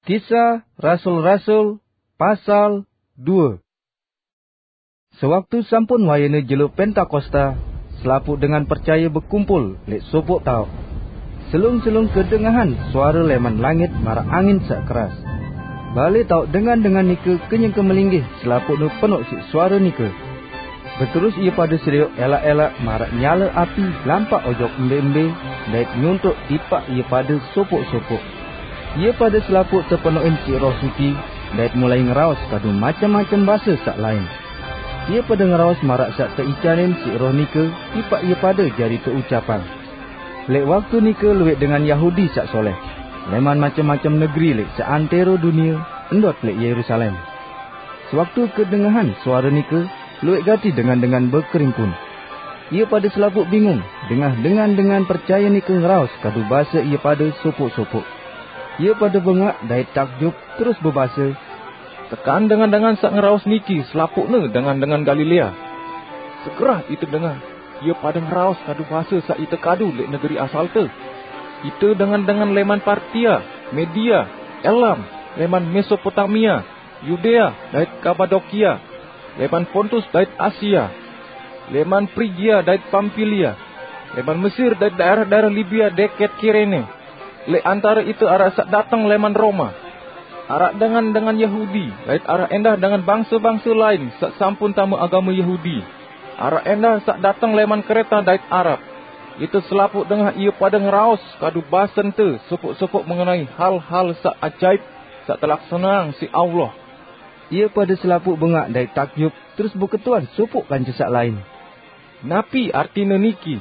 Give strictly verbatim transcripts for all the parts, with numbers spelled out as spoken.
Kisah Rasul-Rasul, pasal dua. Sewaktu sampun wayahne jelo Pentakosta, selapuq dengan percaye bekumpul leq sopoq taoq. Selung-selung kedengahan suare leman langit maraq angin saq keras. Bale taoq dengan-dengan nike kenyeke melinggih, selapuqne penoq siq suare nike. Beterus ie pade serioq elaq-elaq maraq nyale api lampaq ojok embe-embe, dait nyontoq tipaq ie pade sopoq-sopoq. Ie pade selapuq tepenoqin siq Roh Suci, dait mulai ngeraos kadu macem-macem base saq lain. Ie pade ngeraos maraq saq teicanin siq Roh nike tipaq ie pade jari teucapang. Leq waktu nike lueq dengan Yahudi saq soleh, leman macem-macem negeri leq seantero dunie, ndot leq Yerusalem. Sewaktu kedengahan suare nike, lueq gati dengan-dengan bekeringkun. Ie pade selapuq bingung, dengah dengan-dengan percaye nike ngeraos kadu base ie pade sopoq-sopoq. Ie pade bengaq dait takjub, terus bebase, "Tekan dengan-dengan saq ngeraos niki selapuqne dengan-dengan Galilea. Segerah ite dengah, ie pade ngeraos kadu base saq ite kadu leq negeri asalte. Ite dengan-dengan leman Partia, Media, Elam, leman Mesopotamia, Yudea dait Kapadokia, leman Pontus dait Asia, leman Prigia dait Pampilia, leman Mesir dait daerah-daerah Libia deket Kirene. Leq antare ite araq saq dateng leman Roma. Araq dengan-dengan Yahudi, dait araq endah dengan bangse-bangse lain saq sampun tame agame Yahudi. Araq endah saq dateng leman Kreta dait Arab. Ite selapuq dengah ie pade ngeraos kadu basente sopoq-sopoq mengenai hal-hal saq ajaip saq telaksaneang siq Allah." Ie pade selapuq bengaq dait takjub, terus beketuan sopoq kance saq lain, "Napi artine niki?"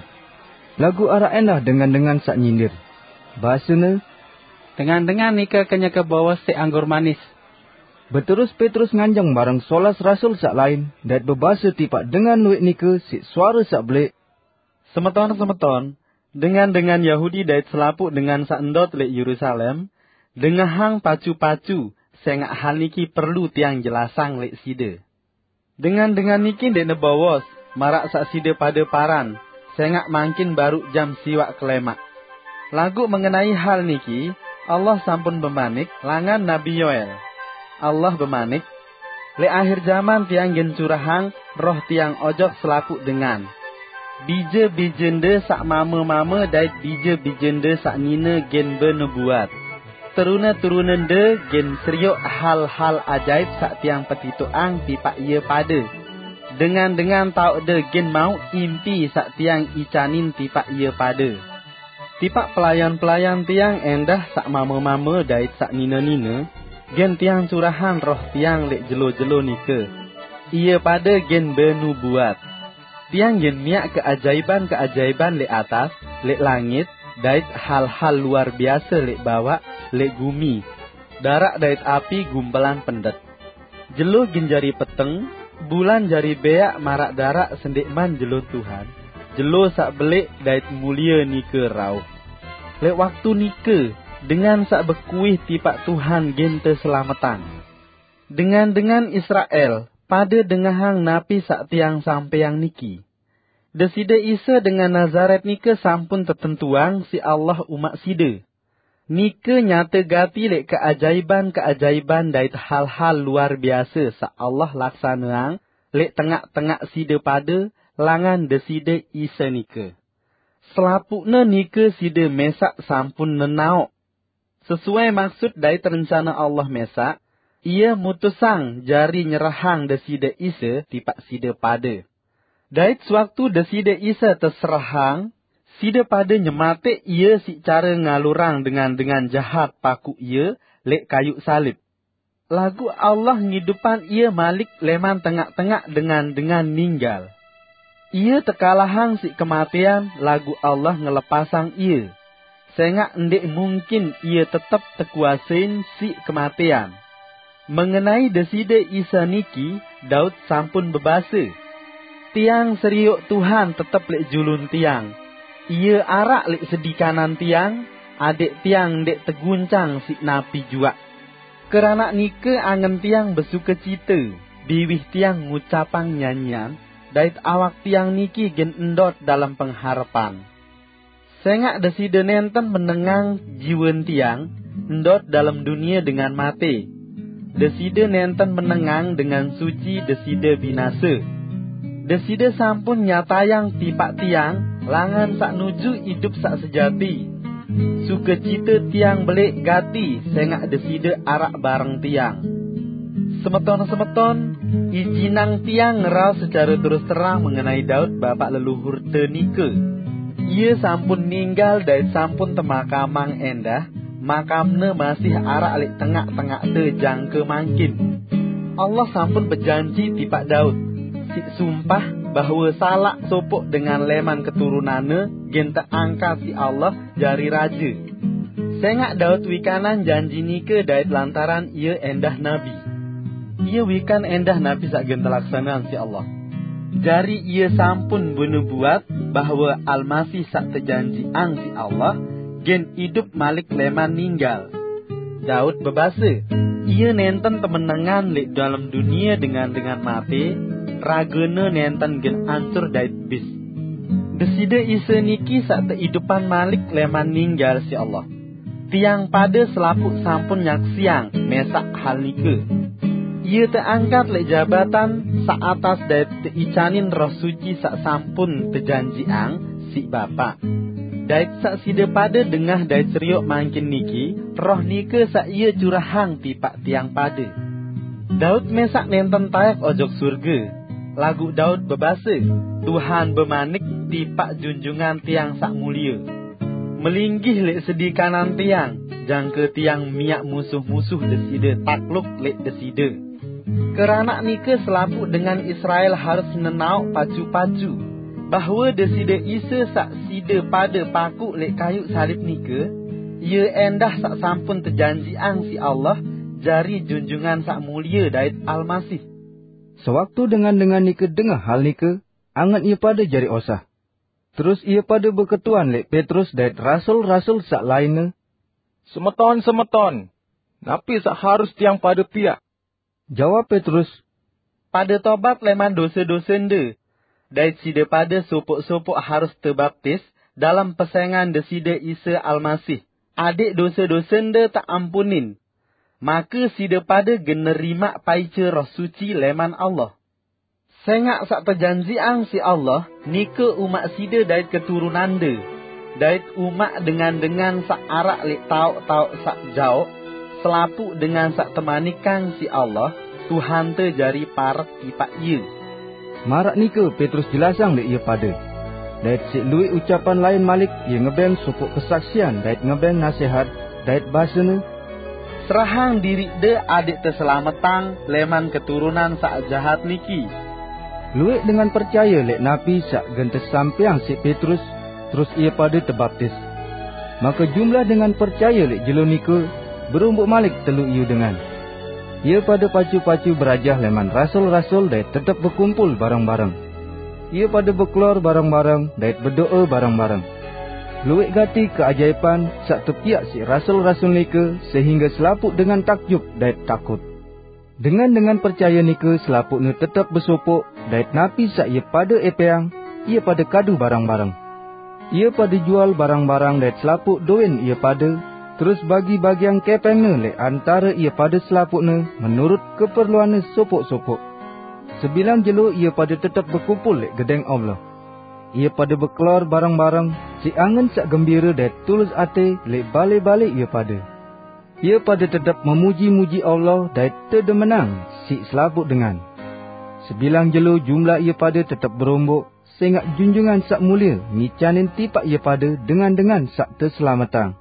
Laguq araq endah dengan-dengan saq nyindir. Basene, "Dengan-dengan nike kenyeke bowos siq anggur manis." Beterus Petrus nganjeng bareng solas rasul saq lain, dait bebase tipaq dengan lueq nike siq suare saq beleq, "Semeton-semeton, dengan-dengan Yahudi dait selapuq dengan saq ndot leq Yerusalem, dengahang pacu-pacu, sengaq hal niki perlu tiang jelasang leq side. Dengan-dengan niki ndeqne bowos, maraq saq side pade paran, sengaq mangkin baruq jam siwaq kelemaq. Laguq mengenai hal niki, Allah sampun bemanik langan Nabi Yoel. Allah bemanik, 'Leq ahir jaman Tiang gen curahang Roh Tiang ojok selapuq dengan. Bije-bijende saq mame-mame dait bije-bijende saq nine gen benubuat. Terune-turunende gen serioq hal-hal ajaip saq Tiang petitoqang tipaq ie pade. Dengan-dengan taoqde gen mauq impi saq Tiang icanin tipaq ie pade.' Tipaq pelayan-pelayan Tiang endah saq mame-mame dait saq nine-nine, gen Tiang curahang Roh Tiang leq jelo-jelo nike. Ie pade gen benubuat. Tiang gen miaq keajaiban-keajaiban leq atas, leq langit, dait hal-hal luar biase leq bawaq, leq gumi. Daraq dait api gumpelang pendet. Jelo gen jari peteng, bulan jari beaq maraq daraq sendeqman jelo Tuhan, jelo saq beleq dait mulie nike rauh. Leq waktu nike, dengan saq bekuih tipaq Tuhan gen teselametang. Dengan-dengan Israel, pade dengahang napi saq Tiang sampeyang niki. Deside Isa dengan Nazaret nike sampun tetentuang siq Allah umaq side. Nike nyate gati leq keajaiban-keajaiban dait hal-hal luar biase saq Allah laksaneang leq tengaq-tengaq side pade langan Deside Isa nike. Selapuqne nike side mesaq sampun nenaoq. Sesuai maksut dait rencana Allah mesaq, Ie mutusang jari nyerahang Deside Isa tipaq side pade. Dait sewaktu Deside Isa teserahang, side pade nyemateq Ie siq care ngalurang dengan-dengan jahat pakuq Ie leq kayuq salib. Laguq Allah ngidupang Ie malik leman tengaq-tengaq dengan-dengan ninggal. Ie tekalahang siq kematean, laguq Allah ngelepasang Ie, sengaq ndeq mungkin Ie tetep tekuasein siq kematean. Mengenai Deside Isa niki, Daud sampun bebase, "Tiang serioq Tuhan tetep leq julun tiang. Ie araq leq sedi kanan tiang, adeq tiang ndeq teguncang siq napi juaq. Keranaq nike angen tiang besukecite, biwih tiang ngucapang nyanyian, dait awak tiang niki gen ndot dalem pengharepan. Sengaq Deside nenten menengang jiwen tiang, ndot dalem dunie dengan mate. Deside nenten menengang dengan suci deside binase. Deside sampun nyatayang tipak tiang langan sak nuju idup sak sejati. Sukecite tiang belik gati sengak deside arak bareng tiang. Semeton-semeton, ijinang tiang ngeral secara terus terang mengenai Daud bapak leluhurte nike. Ia sampun ninggal dait sampun temakamang endah, makamne masih arak leq tengaq-tengaqte jangke mangkin. Allah sampun bejanji tipak Daud, siq sumpah bahwe salaq sopoq dengan leman keturunanne gen teangkat siq Allah jari raje. Sengaq Daud wikanang janji nike dait lantaran ie endah nabi. Ie wikan endah nabi saq gen telaksaneang siq Allah. Jari ie sampun benubuat bahwe Almasih saq tejanjiang siq Allah gen idup malik leman ninggal. Daud bebase, ie nenten temenengan leq dalem dunie dengan-dengan mate, ragene nenten gen ancur dait bis. Deside Isa niki saq teidupan malik leman ninggal siq Allah. Tiang pade selapuq sampun nyaksiang mesaq hal nike. Ie teangkat leq jabatan saq atas dait teicanin Roh Suci saq sampun tejanjiang siq Bapak. Dait saq side pade dengah dait serioq mangkin niki, Roh nike saq ie curahang tipak tiang pade. Daud mesaq nenten taek ojok surge, laguq Daud bebase, Tuhan bemanik tipak Junjungan tiang saq mulie, melinggih leq sedi kanan tiang, jangke tiang miaq musuh-musuh deside takluk leq deside. Keranaq nike selapuq dengan Israel harus nenaoq pacu-pacu, bahwe Deside Isa saq side pade pakuq leq kayuq salib nike, ie endah saq sampun tejanjiang siq Allah jari Junjungan Saq Mulie dait Almasih. Sewaktu dengan-dengan nike dengah hal nike, angen ie pade jari osah. Terus ie pade beketuan leq Petrus dait rasul-rasul saq lainne, "Semeton-semeton, napi saq harus tiang pade piaq?" Jawab Petrus, "Pade tobat leman dose-dosende, dait side pade sopoq-sopoq harus tebaptis dalem pesengan Deside Isa Almasih, adeq dose-dosende teampunin. Make side pade gen nerimaq paice Roh Suci leman Allah. Sengaq saq tejanjiang siq Allah nike umaq side dait keturunande, dait umaq dengan-dengan saq araq leq taoq-taoq saq jaoq, selapuq dengan saq temanikang siq Allah, Tuhante jari parek tipaq ie." Maraq nike Petrus jelasang leq ie pade. Dait siq lueq ucapan lain malik ie ngebeng sopoq kesaksian dait ngebeng nasehat, dait basene, "Serahang diriqde adeq teselametang leman keturunan saq jahat niki." Lueq dengan percaye leq napi saq gen tesampaiang siq Petrus, terus ie pade tebaptis. Make jumlah dengan percaye leq jelo nike beromboq malik telu iyu dengan. Ie pade pacu-pacu berajah leman rasul-rasul dait tetep bekumpul bareng-bareng. Ie pade bekelor bareng-bareng dait bedo'e bareng-bareng. Lueq gati keajaipan saq tepiaq siq rasul-rasul nike, sehingge selapuq dengan takjub dait takut. Dengan-dengan percaye nike selapuqne tetep besopoq, dait napi saq ie pade epeang, ie pade kadu bareng-bareng. Ie pade jual barang-barang dait selapuq dowin ie pade, terus bagi-bagiang kepengne leq antare ie pade selapuqne menurut keperluanne sopoq-sopoq. Sebilang jelo ie pade tetep bekumpul leq Gedeng Allah. Ie pade bekelor bareng-bareng, siq angen saq gembire dait tulus ate leq bale-bale ie pade. Ie pade tetep memuji-muji Allah dait tedemenang siq selapuq dengan. Sebilang jelo jumlah ie pade tetep beromboq, sengaq Junjungan Saq Mulie ngicanin tipaq ie pade dengan-dengan saq teselametang.